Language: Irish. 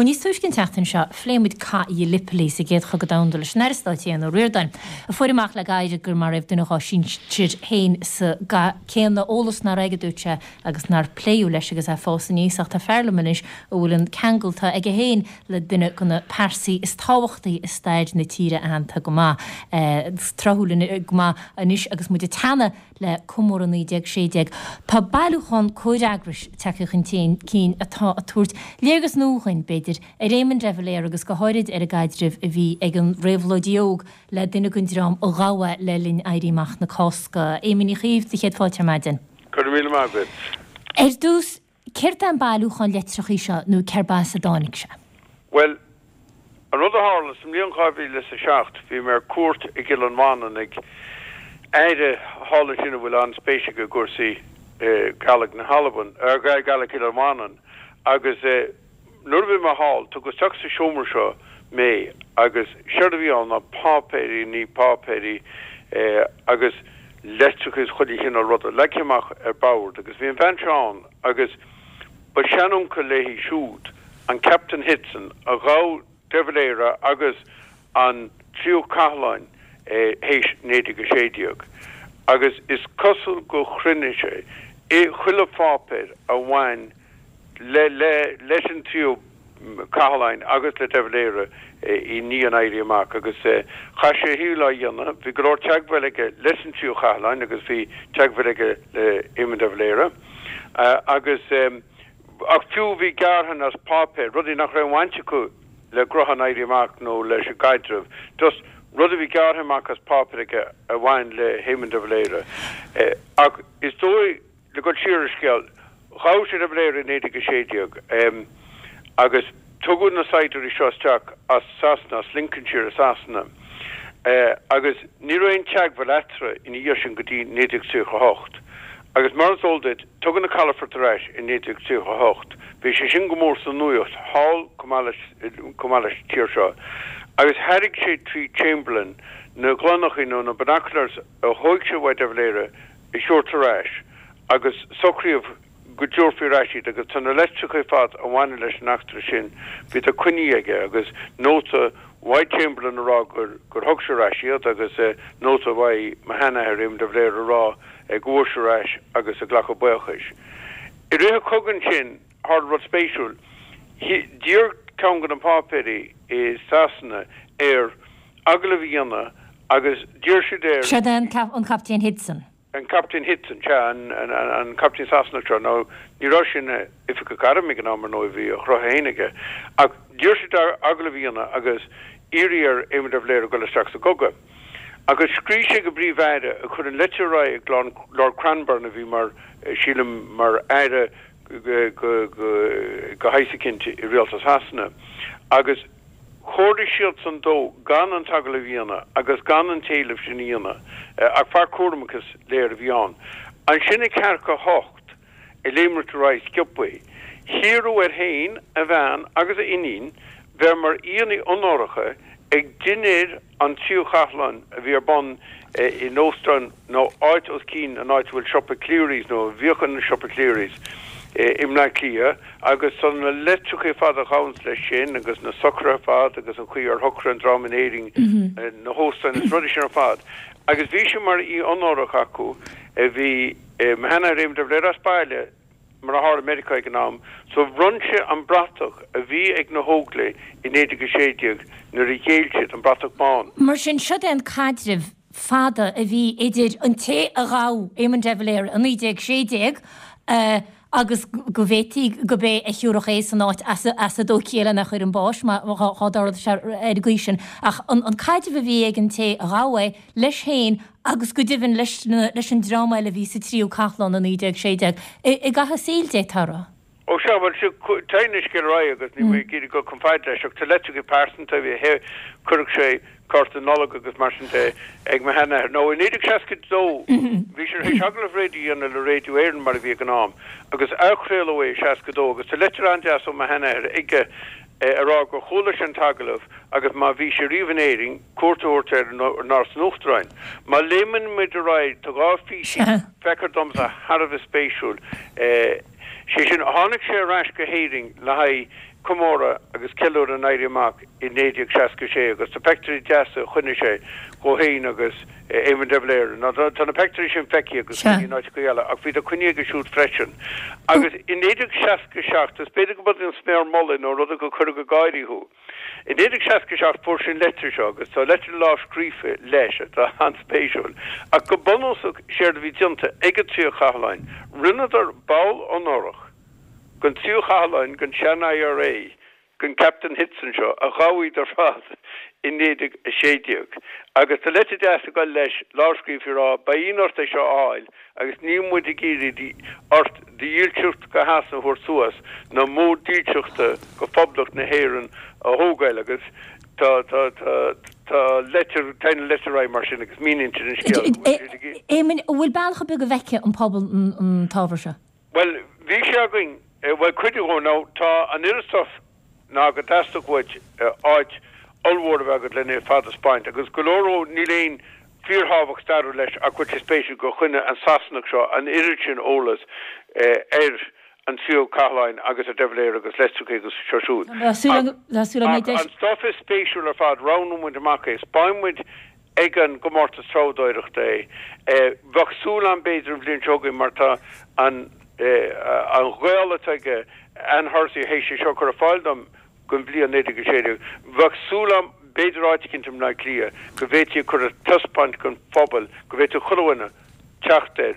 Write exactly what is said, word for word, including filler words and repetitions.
Bhuel, níos túisce an tseachtain seo, phléigh muid Cath Ghallipoli sa gCéad Chogadh Domhanda leis an Aire Stáit Aodhán Ó Ríordáin, a fuair amach le gairid gur maraíodh duine dá shinsir féin sa gcath céanna, eolas nár aige, dúirt sé, agus nár pléadh leis agus é ag fás aníos. Ach tá fear liom anois a bhfuil an ceangal atá aige féin le duine de na pearsaí is tábhachtaí i stair na tíre aitheanta go maith, tráthúil go maith anois agus muid ag teannadh le comóradh naoi déag sé déag. Tá bailiúchán comhfhreagrais tagtha chun cinn atá ag tabhairt léargas nua dhúinn, b'fhéidir, ar Éamon de Valera agus go háirid ar an gcaidreamh a bhí ag an réabhlóidí óg le duine den dream a ghabh é le linn Éirí Amach na Cásca. Éamoin Uí Chaoimh, do chéad fáilte ar maidin. Go raibh míle maith agat. Ar dtús, céard é an bailiúchán litreacha seo nó cérb as a dtáinig sé? Bhuel, an rud a tharla, sa mbliain dhá mhíle is a seacht, bhí mé ar cuairt i gCill an Mhanann ag aire thall ansin a bhfuil an-spéis aige i gcúrsaí Gàidhlig na hAlban, Gàidhlig Chill Mhanann, agus nuair a bhí mé thall, tugadh isteach sa seomra seo mé agus séard a bhí ann ná páipéirí, ní páipéirí, agus leitreacha is chuile chineál ruda leagtha amach ar bord agus bhí an bhean seo ann agus ba seanuncail léi siúd an Captain Hitson a ghabh de Valera agus an Tríú Cathlán théis naoi déag a sé déag agus is cosúil gur chruinnigh sé chuile pháipéar a bhain le le leis an Tríú Cathlán agus le de Valera i ndiaidh an Éirí Amach agus chaith sé a shaol á dhéanamh. Bhí go leor teagmháil aige leis an Tríú Cathlán agus bhí teagmháil aige le Éamon de Valera agus ach fiú bhí gearrtha as páipéar, rudaí nach raibh aon bhaint acu le gnóthaí an Éirí Amach nó leis an gcaidreamh, just rud a bhí gearrtha amach as páipéar aige a bhain le hÉamon de Valera. Ach is dóigh, le dul siar ar an scéal, ghabh sé de Valera i naoi déag a sé déag agus tugadh na saighdiúirí seo isteach as Sasana, as Lincolnshire i Sasana, agus ní raibh aon teagmháil eatarthu ina dhiaidh sin go dtí naoi déag tríocha a hocht. Agus mar is eol duit, tugadh na calafoirt ar ais i naoi déag tríocha a hocht. Bhí sé sin go mór sa nuacht thall chomh maith leis chomh maith leis an tír seo. Agus thairg sé trí Chamberlain na gloineachaí nó na binoculars a thóig sé uaidh de Valera a thabhairt ar ais agus socraíodh go dtabharfaí ar ais iad agus tá na litreacha ar fad a bhaineann leis an eachtra sin, bhíodar coinnithe aige agus nóta uaidh Chamberlain a rá gur gur thug sé ar ais iad agus nóta uaidh mo sheanathair Éamon de Valera a rá go bhfuair sé ar ais agus ag glacadh buíochais. I rith an chogaidh ansin tharla rud spéisiúil. D'iarr ceann de na páipéirí i Sasana air agallamh a dhéanamh agus d'iarr siad air. Seo é an Captaen Hitson. An Captaen Hitson, sea, an Captaen Sasanach seo. Nó ní raibh sé ina oifigeach airm ag an am, ar ndóigh, bhí a ghnoithe féin aige. Ach d'iarr siad air agallamh a dhéanamh agus iarraidh ar Éamon de Valera dul isteach sa gcogadh. Agus scríobh sé go bPríomh-Aire a chuir an litir ar aghaidh ag Lord Cranborne a bhí mar, sílim, mar Aire go shaghas eicínt i Rialtas Shasana. Agus chomhairligh siadsan dó gan an t-agallamh a dhéanamh agus gan an t-éileamh sin a dhéanamh. Ach fear cúramach is léir a bhí ann. Ansin ag ceathracha a hocht, ag léimright ar aghaidh sciobthaí, hiarradh air féin, a bhean agus a iníon bheith mar aíonna onóracha ag dinnéar an Tríú Cathlán a bhí ar bun in óstán nó áit os cionn an áit a bhfuil siopa Cleary's nó a bhíodh ina siopa Cleary's i mBleá Cliath agus tá na litreacha ar fad a ghabhanns leis sin agus na socruithe ar fad agus an chaoi ar shocraigh an dream in Éirinn na hóstáin agus rudaí sin ar fad agus bhí sé mar aoi onórach acu. Bhí mo sheanathair Éamon de Valera as baile mar a tharla i Meiriceá ag an am, so bhronn sé an bratach a bhí ag na hÓglaigh i naoi déag a sé déag nuair a ghéill siad, an bratach bán. Mar sin, siod é an caidreamh fada a bhí idir an té a ghabh Éamon de Valera i naoi déag sé déag agus go bhféadfaí gurb é a thiúrfadh é san áit as a dtógfaí é lena chur chun báis má dá dtarlódh sé ar an gcaoi sin. Ach an caidreamh a bhí ag an té a ghabh é leis féin agus go deimhin leis leis an dream eile a bhí sa Tríú Cathlán i naoi déag sé déag i gcaitheamh a saoil, d'fhéadfá a rá. Ó sea, bhuel, sea, téann an scéal ar aghaidh agus níl mé ag iarraidh dul chun fada leis ach tá litreacha pearsanta, bhí, chuireadh sé cárta Nollag agus mar sin de ag mo sheanathair. Nó i naoi déag seasca a dó bhí sé tar éis agallamh raidió a dhéanamh le Raidió Éireann mar a bhí ag an am agus athchraoladh é i seasca a dó agus tá litir an-deas ó mo sheanathair aige a rá gur chuala sé an t-agallamh agus má bhí sé riamh in Éirinn, cuairt a thabhairt air in Áras an Uachtaráin. Má léimeann muid ar aghaidh, tá dhá phíosa, feictear domsa, thar a bheith spéisiúil. Sé sin, tháinig sé ar ais go hÉirinn le haghaidh comóradh agus ceiliúradh an Éirí Amach i naoi déag seasca sé agus tá peictiúirí deasa a choinnigh sé dhó féin agus Éamon de Valera. Ná tá na peictiúirí sin feicthe agus Sea. in áiteacha eile ach bhí siad coinnithe aige siúd freisin. Agus i naoi déag seasca seacht, is b'fhéidir go b'fhéidir an sméar mullaigh nó rud a chuirfeadh ag gáirí thú. I naoi déag seasca seacht fuair sé an leitir seo agus tá leitir lámhscríofa leis atá an-spéisiúil. Ach go bunúsach séard a bhí déanta ag an Tríú Cathlán, rinneadar ball onórach den Tríú Cathlán den sean IRA den Captain Hitson seo a gabhadh iad ar fad i naoi déag a sé déag. Agus tá leitir deas ag dul leis lámhscríofa ag rá beidh ort é seo a fháil agus níl muid ag iarraidh ort do dhílseacht go Shasana a thabhairt suas nó modh dílseachta go Phoblacht na hÉireann a thógáil agus tá tá tá tá leitir tá an leitir aghaidh mar sin agus míníonn an scéal go bhfuil siad ag Éamoinn, an bhfuil bealach ar bith go bhfeicfidh an pobal an t-ábhar seo? Bhuel, bhí sé againn, bhuel cuid de nó tá an oiread stuif ná go dteastódh uait áit ollmhór a bheith agat lena fad a 'speáint agus go leor ó níl aon fíorthábhacht stairiúil leis ach go bhfuil sé spéisiúil gur choinnigh an Sasanach seo an oiread sin eolas ar an tríú Cathlán agus ar de Valera agus leitreacha agus seo siúd. Ach an stuif is spéisiúil ar fad, roghnóidh muid amach é, 'speáinfidh muid ag an gcomórtas treabhdóireachta é. Bheadh súil agam b'fhéidir an bhliain seo chugainn mar tá an an gaol atá aige Ann Hursey théis é seo a chur ar fáil dom don bhliain naoi déag a sé déag. Bheadh súil agam b'fhéidir áit eicínt i mBleá Cliath go bhféadfaí cur ar taispeáint don phobal, go bhféadfadh chuile dhuine teacht air.